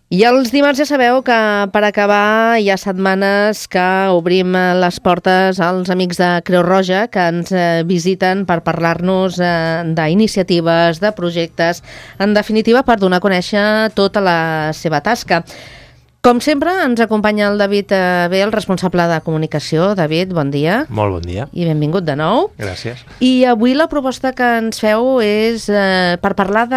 I els dimarts ja sabeu que per acabar hi ha setmanes que obrim les portes als amics de Creu Roja que ens visiten per parlar-nos d'iniciatives, de projectes, en definitiva per donar a conèixer tota la seva tasca. Com sempre, ens acompanya el David B, el responsable de comunicació. David, bon dia. Molt bon dia. I benvingut de nou. Gràcies. I avui la proposta que ens feu és per parlar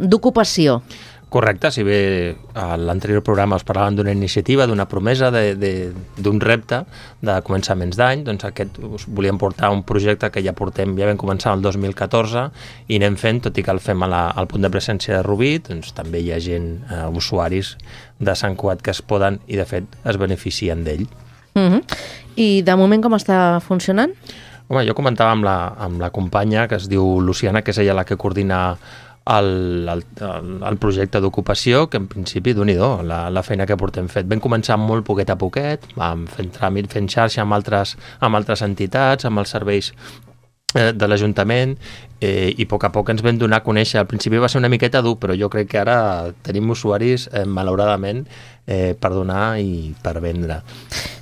d'ocupació. Correcte, si bé a l'anterior programa us parlàvem d'una iniciativa, d'una promesa, d'un repte de començaments d'any, doncs aquest us volíem portar un projecte que ja vam començar el 2014 i anem fent, tot i que el fem al punt de presència de Rubí, doncs també hi ha gent, usuaris de Sant Cugat que es poden i de fet es beneficien d'ell. I de moment com està funcionant? Home, jo comentava amb la companya que es diu Luciana, que és ella la que coordina el projecte d'ocupació, que en principi, Déu-n'hi-do, la feina que portem fet. Vam començar molt poquet a poquet, vam fent tràmit, fent xarxa amb altres entitats, amb els serveis de l'Ajuntament, i a poc ens vam donar a conèixer. Al principi va ser una miqueta dur, però jo crec que ara tenim usuaris, malauradament, per donar i per vendre.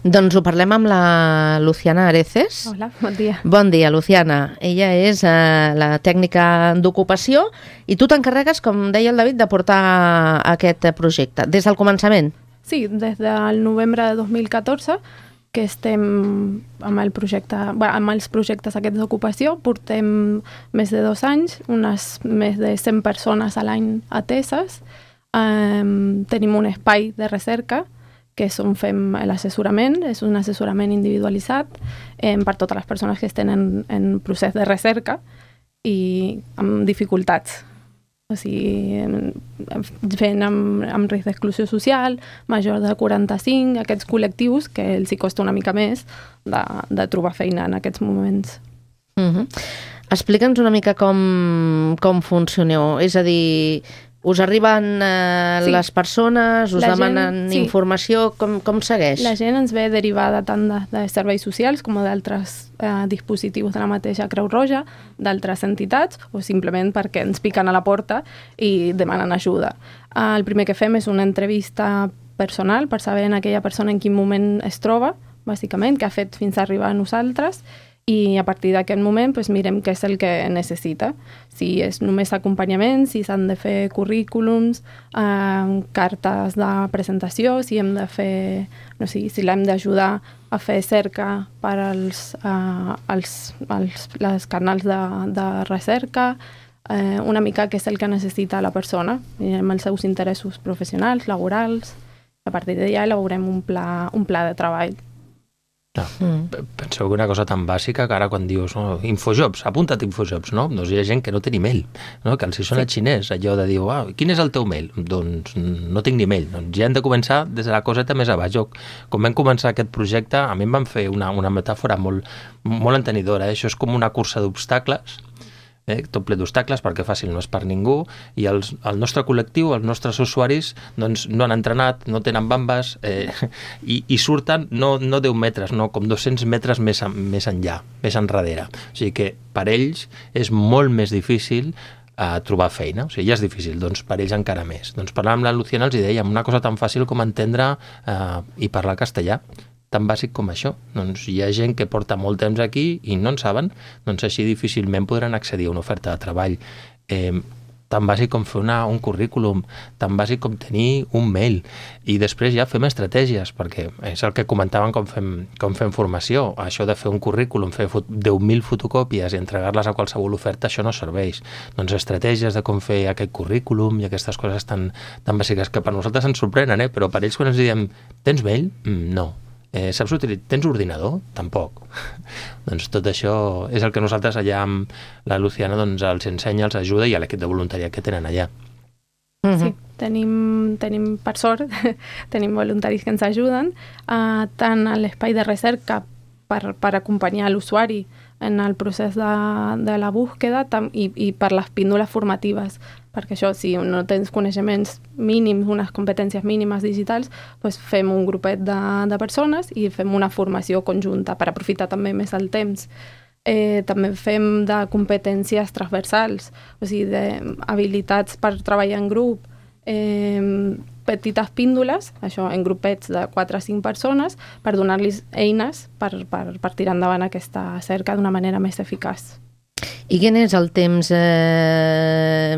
Doncs ho parlem amb la Luciana Areces. Hola, bon dia. Bon dia, Luciana. Ella és la tècnica d'ocupació i tu t'encarregues, com deia el David, de portar aquest projecte. Des del començament? Sí, des del novembre de 2014 que estem amb el projecte, amb els projectes aquests d'ocupació. Portem més de 2 anys, unes més de 100 persones a l'any ateses. Tenim un espai de recerca que és on fem l'assessorament, és un assessorament individualitzat per totes les persones que estan en procés de recerca i amb dificultats. O sigui, fent amb risc d'exclusió social, major de 45, aquests col·lectius que els hi costa una mica més de trobar feina en aquests moments. Explica'ns una mica com funcioneu, és a dir, us arriben les persones, us demanen informació, com segueix? La gent ens ve derivada tant de serveis socials com d'altres dispositius de la mateixa Creu Roja, d'altres entitats, o simplement perquè ens piquen a la porta i demanen ajuda. El primer que fem és una entrevista personal per saber en aquella persona en quin moment es troba, bàsicament, què ha fet fins a arribar a nosaltres, i a partir d'aquest moment mirem què és el que necessita. Si és només acompanyament, si s'han de fer currículums, cartes de presentació, si hem de fer, no sé, si l'hem d'ajudar a fer cerca per als canals de recerca, una mica què és el que necessita la persona, mirem els seus interessos professionals, laborals. A partir d'allà elaborem un pla de treball. Penseu que una cosa tan bàsica que ara quan dius Infojobs, apunta't Infojobs, no? Doncs hi ha gent que no té ni mail, no? Que els hi sona xinès, allò de dir, quin és el teu mail? Doncs no tinc ni mail. Doncs ja hem de començar des de la coseta més a baix. Quan vam començar aquest projecte, a mi em van fer una metàfora molt entenidora. Això és com una cursa d'obstacles, tot ple d'obstacles, perquè fàcil no és per ningú, i el nostre col·lectiu, els nostres usuaris, doncs no han entrenat, no tenen bambes, i surten no 10 metres, no, com 200 metres més enllà, més enrere. O sigui que per ells és molt més difícil trobar feina, o sigui, ja és difícil, doncs per ells encara més. Doncs parlant amb la Luciana els dèiem una cosa tan fàcil com entendre i parlar castellà, tan bàsic com això. Doncs hi ha gent que porta molt temps aquí i no en saben, doncs així difícilment podran accedir a una oferta de treball. Tan bàsic com fer un currículum, tan bàsic com tenir un mail. I després ja fem estratègies, perquè és el que comentàvem com fem formació. Això de fer un currículum, fer 10.000 fotocòpies i entregar-les a qualsevol oferta, això no serveix. Doncs estratègies de com fer aquest currículum i aquestes coses tan bàsiques que per nosaltres ens sorprenen, però per ells quan ens diem, tens mail? No. Saps utilitzar? Tens ordinador? Tampoc. Doncs tot això és el que nosaltres allà amb la Luciana els ensenya, els ajuda, i a l'equip de voluntariat que tenen allà. Sí, tenim per sort, tenim voluntaris que ens ajuden, tant a l'espai de recerca per acompanyar l'usuari en el procés de la búsqueda i per les píndoles formatives, perquè això, si no tens coneixements mínims, unes competències mínimes digitals, doncs fem un grupet de persones i fem una formació conjunta per aprofitar també més el temps. També fem de competències transversals, o sigui, d'habilitats per treballar en grup, petites píndoles, això en grupets de 4 a 5 persones, per donar-los eines per tirar endavant aquesta cerca d'una manera més eficaç. I quin és el temps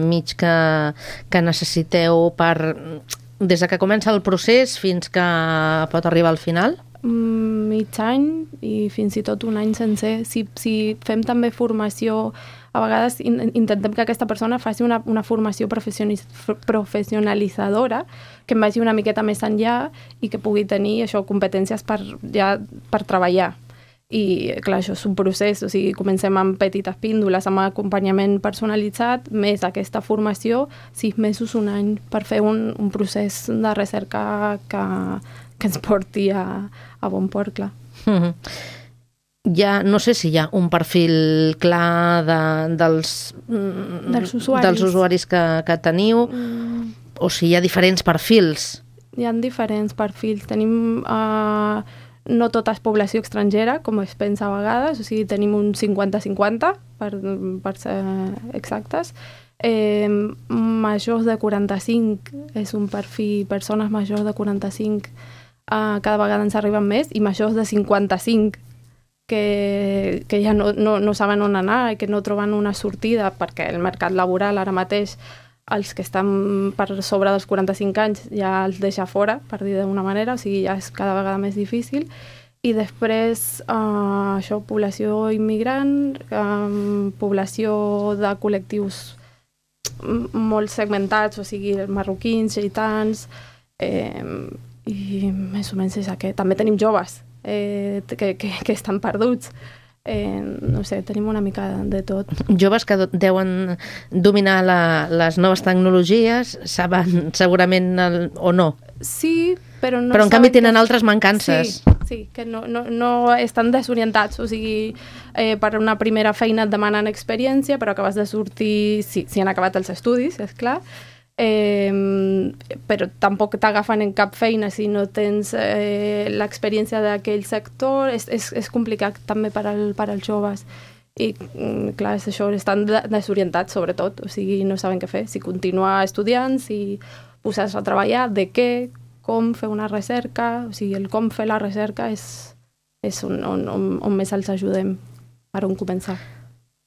mig que necessiteu des que comença el procés fins que pot arribar al final? Mig any i fins i tot un any sencer. Si fem també formació, a vegades intentem que aquesta persona faci una formació professionalitzadora que em vagi una miqueta més enllà i que pugui tenir això, competències per treballar. I clar, això és un procés, o sigui, comencem amb petites píndoles, amb acompanyament personalitzat, més aquesta formació, 6 mesos, un any, per fer un procés de recerca que ens porti a bon port, clar. Ja no sé si hi ha un perfil clar dels usuaris que teniu, o si hi ha diferents perfils. Hi ha diferents perfils. Tenim... no tota és població estrangera, com es pensa a vegades, o sigui, tenim un 50-50, per ser exactes. Majors de 45 és un perfil, persones majors de 45 cada vegada ens arriben més, i majors de 55 que ja no saben on anar i que no troben una sortida, perquè el mercat laboral ara mateix els que estan per sobre dels 45 anys ja els deixa fora, per dir d'una manera, o sigui, ja és cada vegada més difícil. I després, això, població immigrant, població de col·lectius molt segmentats, o sigui, marroquins, gitans, i més o menys és aquest. També tenim joves que estan perduts. No sé, tenim una mica de tot. Joves que deuen dominar les noves tecnologies, saben segurament o no. Sí, però no. Però en canvi tenen altres mancances. Sí, que no estan desorientats, o sigui, per una primera feina et demanen experiència, però acabes de sortir, si han acabat els estudis, és clar, però tampoc t'agafen en cap feina si no tens l'experiència d'aquell sector. És complicat també per als joves i clar, és això, estan desorientats sobretot, o sigui, no saben què fer, si continuar estudiant, si posar-se a treballar, de què, com fer una recerca, o sigui, el com fer la recerca és on més els ajudem, per on començar.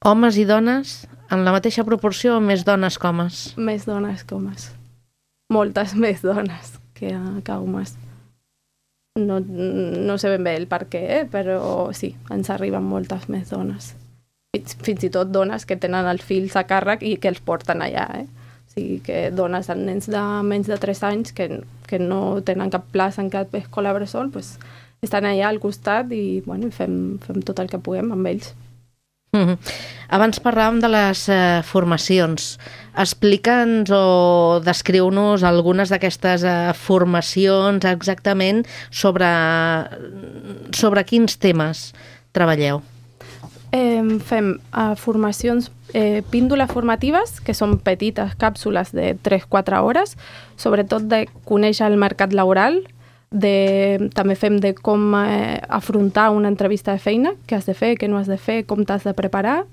Homes i dones en la mateixa proporció o més dones que homes? Més dones que homes. Moltes més dones que homes. No sé ben bé el per què, però sí, ens arriben moltes més dones. Fins i tot dones que tenen els fills a càrrec i que els porten allà. O sigui, que dones amb nens de menys de 3 anys que no tenen cap plaça en cap escola bressol, pues, estan allà al costat i bueno, fem tot el que puguem amb ells. Abans parlàvem de les formacions. Explica'ns o descriu-nos algunes d'aquestes formacions exactament sobre quins temes treballeu. Fem formacions, píndoles formatives, que són petites càpsules de 3-4 hores, sobretot de conèixer el mercat laboral, també fem de com afrontar una entrevista de feina, què has de fer, què no has de fer, com t'has de preparar.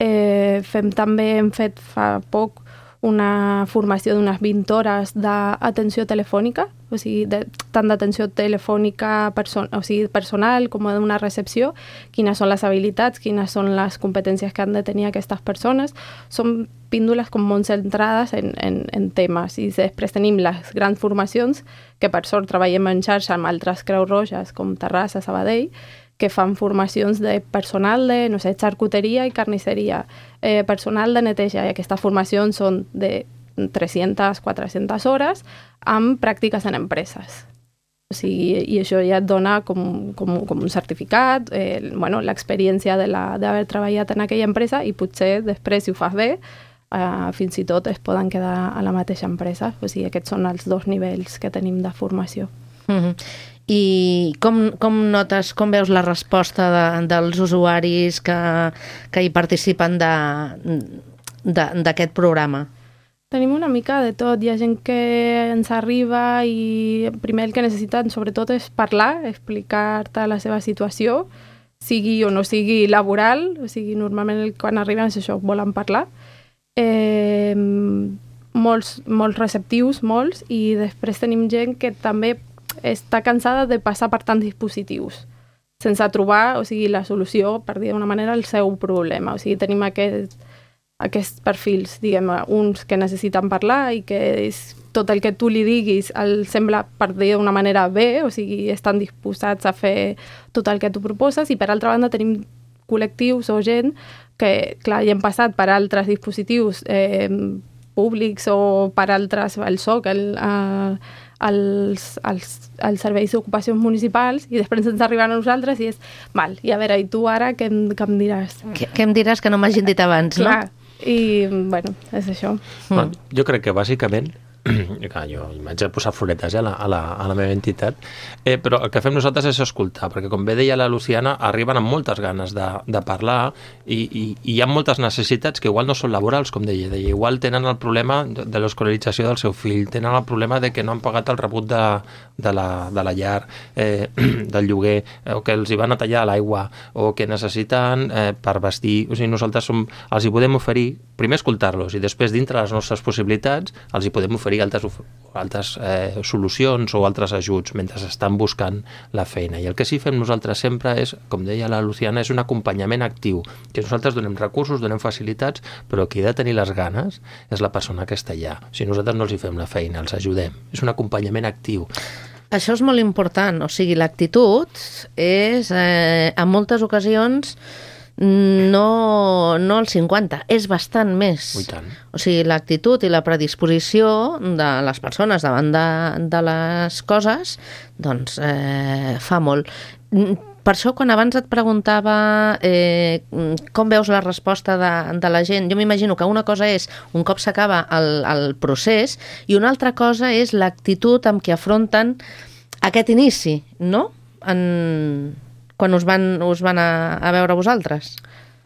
Hem fet fa poc una formació d'unes 20 hores d'atenció telefònica, o sigui, tant d'atenció telefònica personal com d'una recepció, quines són les habilitats, quines són les competències que han de tenir aquestes persones. Són píndoles com molt centrades en temes, i després tenim les grans formacions, que per sort treballem en xarxa amb altres Creus Roges, com Terrassa, Sabadell, que fan formacions de personal de, no sé, xarcuteria i carnisseria, personal de neteja, i aquestes formacions són de 300-400 hores amb pràctiques en empreses. O sigui, i això ja et dona com un certificat, l'experiència d'haver treballat en aquella empresa, i potser després, si ho fas bé, fins i tot es poden quedar a la mateixa empresa. O sigui, aquests són els 2 nivells que tenim de formació. I com notes, com veus la resposta dels usuaris que hi participen d'aquest programa? Tenim una mica de tot. Hi ha gent que ens arriba i primer el que necessiten sobretot és parlar, explicar-te la seva situació, sigui o no sigui laboral, o sigui, normalment quan arriben és això, volen parlar. molts receptius, molts, i després tenim gent que també està cansada de passar per tants dispositius sense trobar, o sigui, la solució, per dir d'una manera, el seu problema. O sigui, tenim aquests perfils, diguem, uns que necessiten parlar i que tot el que tu li diguis els sembla, per dir d'una manera, bé, o sigui, estan disposats a fer tot el que tu proposes, i per altra banda tenim col·lectius o gent que, clar, ja hem passat per altres dispositius públics o per altres, el SOC, als serveis d'ocupacions municipals, i després ens arriben a nosaltres i és, val, i a veure, i tu ara què em diràs? Què em diràs que no m'hagin dit abans, no? Clar, i, bueno, és això. Bueno, jo crec que bàsicament jo m'haig de posar floretes a la meva entitat, però el que fem nosaltres és escoltar, perquè com bé deia la Luciana, arriben amb moltes ganes de parlar i hi ha moltes necessitats que igual no són laborals, com deia, igual tenen el problema de l'escolarització del seu fill, tenen el problema de que no han pagat el rebut de la llar, del lloguer, o que els hi van a tallar l'aigua, o que necessiten per vestir. O sigui, nosaltres els hi podem oferir, primer escoltar-los, i després, dintre les nostres possibilitats, els hi podem oferir altres solucions o altres ajuts mentre estan buscant la feina. I el que sí fem nosaltres sempre és, com deia la Luciana, és un acompanyament actiu, que nosaltres donem recursos, donem facilitats, però qui ha de tenir les ganes és la persona que està allà. O sigui, nosaltres no els hi fem la feina, els ajudem. És un acompanyament actiu. Això és molt important, o sigui, l'actitud és, en moltes ocasions, no el 50, és bastant més. I tant. O sigui, l'actitud i la predisposició de les persones davant de les coses, doncs fa molt. Per això, quan abans et preguntava com veus la resposta de la gent, jo m'imagino que una cosa és un cop s'acaba el procés i una altra cosa és l'actitud amb què afronten aquest inici, no? Quan us van a veure vosaltres?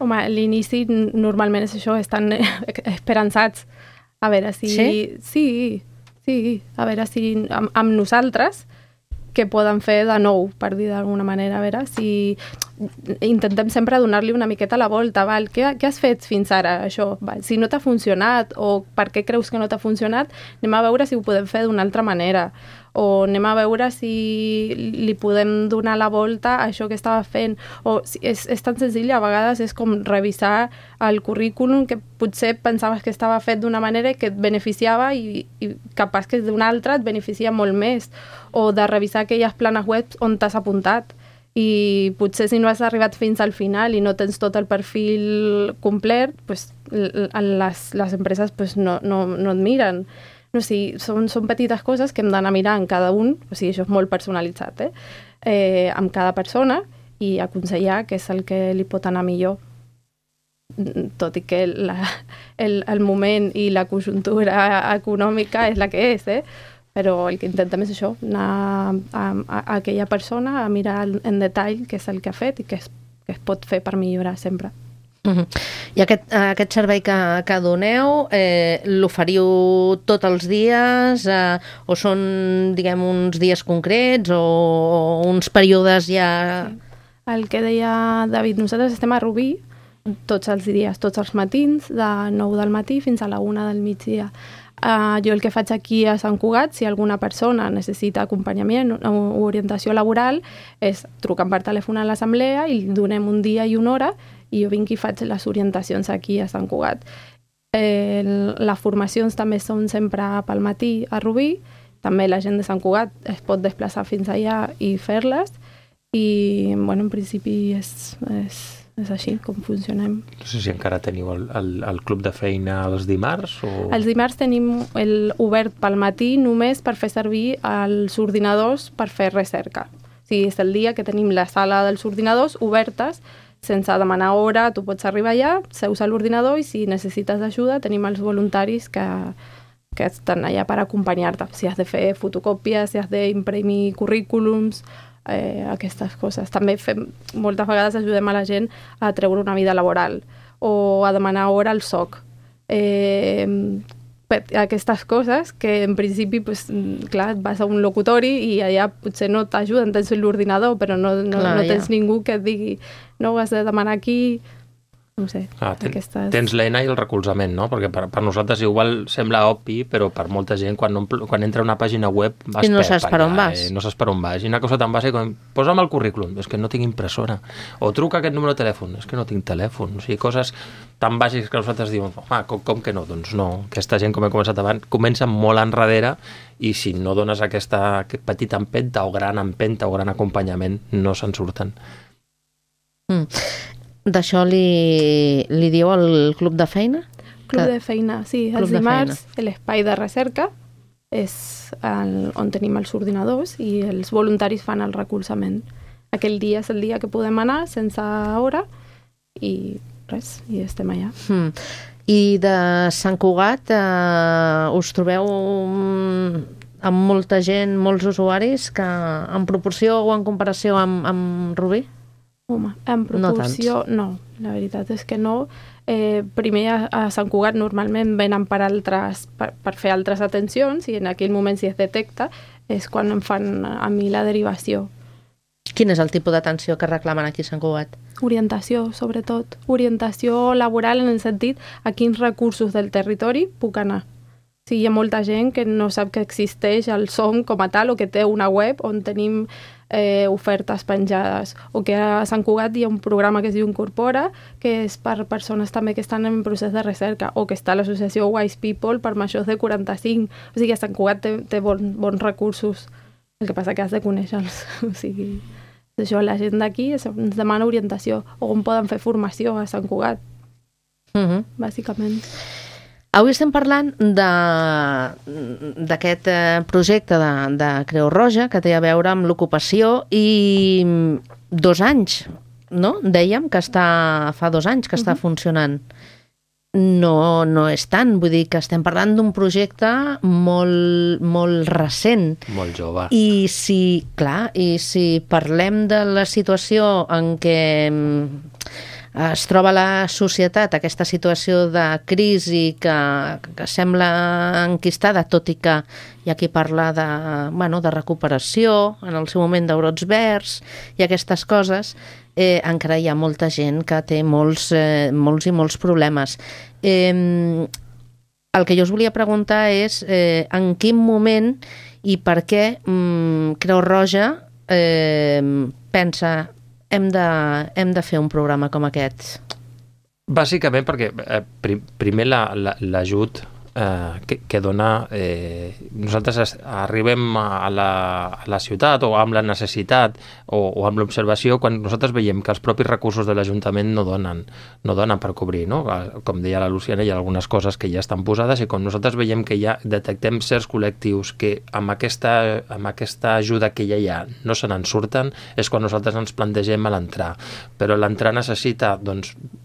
Home, l'inici normalment és això, estan esperançats. A veure si... Sí. A veure si amb nosaltres què poden fer de nou, per dir d'alguna manera. A veure si... Intentem sempre donar-li una miqueta la volta. Val? Què has fet fins ara, això? Val? Si no t'ha funcionat o per què creus que no t'ha funcionat, anem a veure si ho podem fer d'una altra manera. O anem a veure si li podem donar la volta a això que estava fent. O és tan senzill, a vegades és com revisar el currículum que potser pensaves que estava fet d'una manera i que et beneficiava i capaç que d'una altra et beneficia molt més. O de revisar aquelles planes web on t'has apuntat. I potser si no has arribat fins al final i no tens tot el perfil complet, pues, les empreses pues, no et miren. No sé, són petites coses que hem d'anar mirant cada un, o sigui, això és molt personalitzat, amb cada persona, i aconsellar què és el que li pot anar millor. Tot i que el moment i la conjuntura econòmica és la que és, però el que intentem és això, anar a aquella persona a mirar en detall què és el que ha fet i què es pot fer per millorar sempre. I aquest servei que doneu, l'oferiu tots els dies o són, diguem, uns dies concrets o uns períodes ja... Sí. El que deia David, nosaltres estem a Rubí tots els dies, tots els matins, de 9 del matí fins a la 1 del migdia. Jo el que faig aquí a Sant Cugat, si alguna persona necessita acompanyament o orientació laboral, és trucar per telèfon a l'assemblea i donem un dia i una hora i jo vinc i faig les orientacions aquí a Sant Cugat. Les formacions també són sempre pel matí a Rubí, també la gent de Sant Cugat es pot desplaçar fins allà i fer-les i, bueno, en principi és així com funcionem. No sé si encara teniu el club de feina els dimarts o... Els dimarts tenim obert pel matí només per fer servir els ordinadors per fer recerca. O sigui, és el dia que tenim la sala dels ordinadors obertes sense demanar hora, tu pots arribar allà, seus a l'ordinador i si necessites ajuda tenim els voluntaris que estan allà per acompanyar-te. Si has de fer fotocòpies, si has d'imprimir currículums, aquestes coses. També moltes vegades ajudem a la gent a treure una vida laboral o a demanar hora al SOC. Aquestes coses que en principi, pues, clar, vas a un locutori i allà potser no t'ajuden, tens l'ordinador, però no tens ningú que et digui no, has de demanar aquí. no sé, tens l'eina i el recolzament, no? Perquè per nosaltres igual sembla obvi, però per molta gent quan entra a una pàgina web i no saps per on vas. No saps per on vas. I una cosa tan bàsica com posa'm el currículum, és que no tinc impressora. O truca aquest número de telèfon, és que no tinc telèfon. O sigui, coses tan bàsiques que nosaltres diuen, com que no? Doncs no. Aquesta gent, com he començat abans, comença molt enrere i si no dones aquest petit empenta o gran empenta o gran acompanyament, no se'n surten. D'això li diu el Club de Feina? Club de Feina, sí. Els dimarts l'espai de recerca és on tenim els ordinadors i els voluntaris fan el recolzament. Aquell dia és el dia que podem anar sense hora i res, i estem allà. I de Sant Cugat us trobeu amb molta gent, molts usuaris que en proporció o en comparació amb Rubí? Home, en proporció no, la veritat és que no. Primer a Sant Cugat normalment venen per fer altres atencions i en aquell moment si es detecta és quan em fan a mi la derivació. Quin és el tipus d'atenció que reclamen aquí a Sant Cugat? Orientació, sobretot. Orientació laboral en el sentit a quins recursos del territori puc anar. Sí, hi ha molta gent que no sap que existeix el SOM com a tal o que té una web on tenim ofertes penjades o que a Sant Cugat hi ha un programa que es diu Incorpora que és per persones també que estan en procés de recerca o que està l'associació Wise People per majors de 45. O sigui, a Sant Cugat té bons recursos. El que passa que has de conèixer-los. O sigui, això, la gent d'aquí ens demana orientació o on poden fer formació a Sant Cugat, bàsicament. Avui estem parlant d'aquest projecte de Creu Roja que té a veure amb l'ocupació i 2 anys, no? Dèiem que fa 2 anys que està funcionant. No és tant, vull dir que estem parlant d'un projecte molt recent. Molt jove. I si parlem de la situació en què es troba la societat, aquesta situació de crisi que sembla enquistada, tot i que hi ha qui parla de recuperació, en el seu moment de brots verds i aquestes coses, encara hi ha molta gent que té molts i molts problemes. El que jo us volia preguntar és en quin moment i per què Creu Roja pensa hem de fer un programa com aquest? Bàsicament perquè primer l'ajut que dona... nosaltres arribem a la ciutat o amb la necessitat o amb l'observació quan nosaltres veiem que els propis recursos de l'Ajuntament no donen per cobrir, no? Com deia la Luciana, hi ha algunes coses que ja estan posades i quan nosaltres veiem que ja detectem certs col·lectius que amb aquesta ajuda que ja hi ha no se n'en surten, és quan nosaltres ens plantegem a l'entrar. Però l'entrar necessita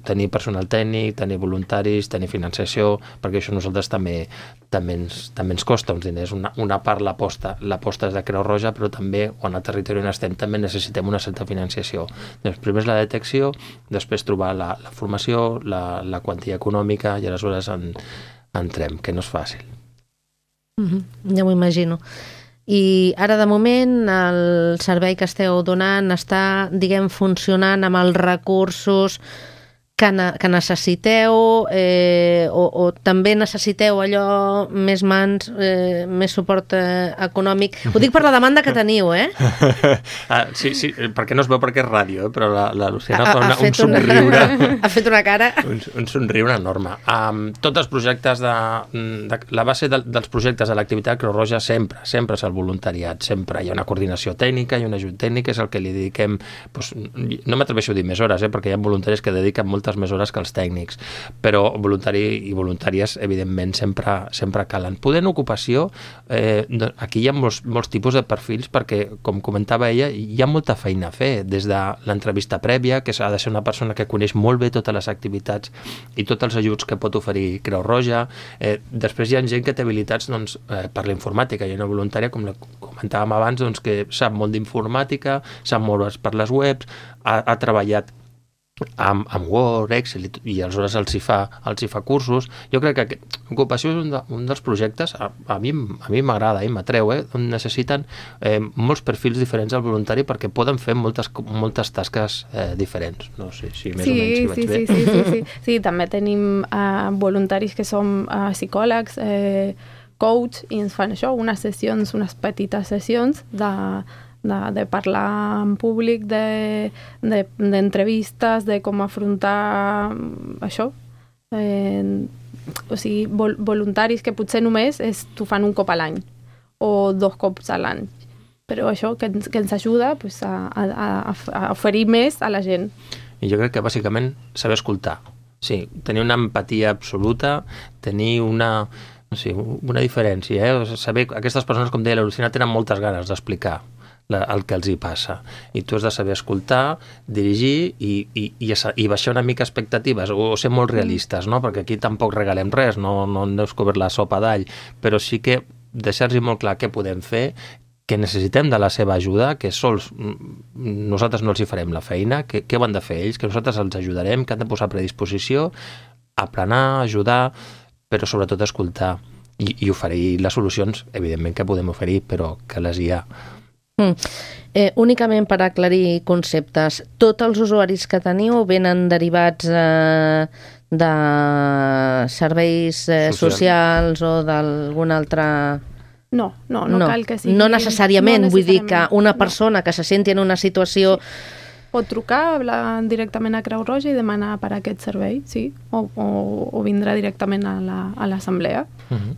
tenir personal tècnic, tenir voluntaris, tenir financiació, perquè això nosaltres també ens costa uns diners. Una part l'aposta és de Creu Roja, però també, quan al territori on estem, també necessitem una certa financiació. Primer és la detecció, després trobar la formació, la quantia econòmica, i aleshores entrem, que no és fàcil. Ja m'ho imagino. I ara, de moment, el servei que esteu donant està, funcionant amb els recursos que necessiteu o també necessiteu allò més mans, més suport econòmic. Ho dic per la demanda que teniu, Sí, perquè no es veu perquè és ràdio, però la Luciana fa un somriure. Ha fet una cara. Un somriure enorme. Tots els projectes la base dels projectes de l'activitat Creu Roja sempre és el voluntariat, sempre. Hi ha una coordinació tècnica i un ajut tècnic, és el que li dediquem, no m'atreveixo a dir més hores, perquè hi ha voluntaris que dediquen moltes més hores que els tècnics, però voluntari i voluntàries evidentment sempre calen. Podent ocupació, aquí hi ha molts tipus de perfils perquè, com comentava ella, hi ha molta feina a fer, des de l'entrevista prèvia, que ha de ser una persona que coneix molt bé totes les activitats i tots els ajuts que pot oferir Creu Roja. Després hi ha gent que té habilitats per la informàtica. Hi ha una voluntària, com comentàvem abans, que sap molt d'informàtica, sap molt per les webs, ha treballat amb Word, Excel, i aleshores els hi fa cursos. Jo crec que ocupació és un dels projectes, a mi m'agrada, m'atreu, on necessiten molts perfils diferents al voluntari perquè poden fer moltes tasques diferents. No sé si més o menys hi vaig bé. Sí, també tenim voluntaris que som psicòlegs, coach, i ens fan això, unes petites sessions de parlar en públic, d'entrevistes, de com afrontar això. O sigui, voluntaris que potser només t'ho fan un cop a l'any o 2 cops a l'any. Però això que ens ajuda a oferir més a la gent. I jo crec que bàsicament saber escoltar. Sí, tenir una empatia absoluta, tenir una diferència. Saber, aquestes persones, com deia la Luciana, tenen moltes ganes d'explicar el que els hi passa. I tu has de saber escoltar, dirigir i baixar una mica expectatives o ser molt realistes, no? Perquè aquí tampoc regalem res, no hem descobert la sopa d'all, però sí que deixar-los molt clar què podem fer, que necessitem de la seva ajuda, que sols nosaltres no els hi farem la feina, què ho han de fer ells, que nosaltres els ajudarem, que han de posar a predisposició, aplanar, ajudar, però sobretot escoltar i oferir les solucions, evidentment que podem oferir, però que les hi ha. Únicament per aclarir conceptes, tots els usuaris que teniu venen derivats de serveis socials o d'algun altre... No cal que sigui... No necessàriament, vull dir que una persona que se senti en una situació... Pot trucar, hablar directament a Creu Roja i demanar per aquest servei, sí, o vindrà directament a l'assemblea.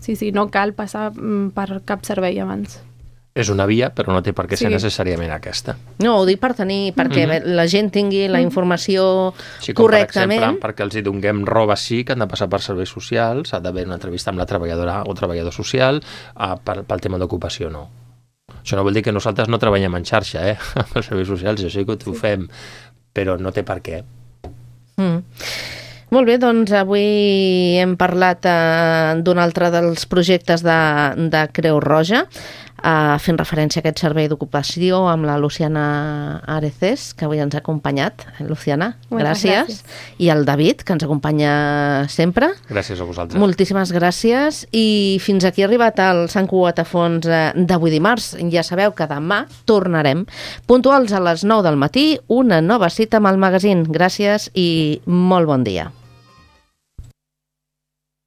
Sí, no cal passar per cap servei abans. És una via, però no té per què ser necessàriament aquesta. No, ho dic perquè la gent tingui la informació correctament. Per exemple, perquè els hi donem roba sí, que han de passar per serveis socials, ha d'haver una entrevista amb la treballadora o treballador social, pel tema d'ocupació no. Això no vol dir que nosaltres no treballem en xarxa, amb els serveis socials, jo sé que ho fem, però no té per què. Molt bé, doncs avui hem parlat d'un altre dels projectes de Creu Roja, fent referència a aquest servei d'ocupació amb la Luciana Areces, que avui ens ha acompanyat. Luciana, gràcies. I el David, que ens acompanya sempre. Gràcies a vosaltres. Moltíssimes gràcies. I fins aquí ha arribat el Sant Cugat a Fons d'avui dimarts. Ja sabeu que demà tornarem puntuals a les 9 del matí, una nova cita amb el magazín. Gràcies i molt bon dia.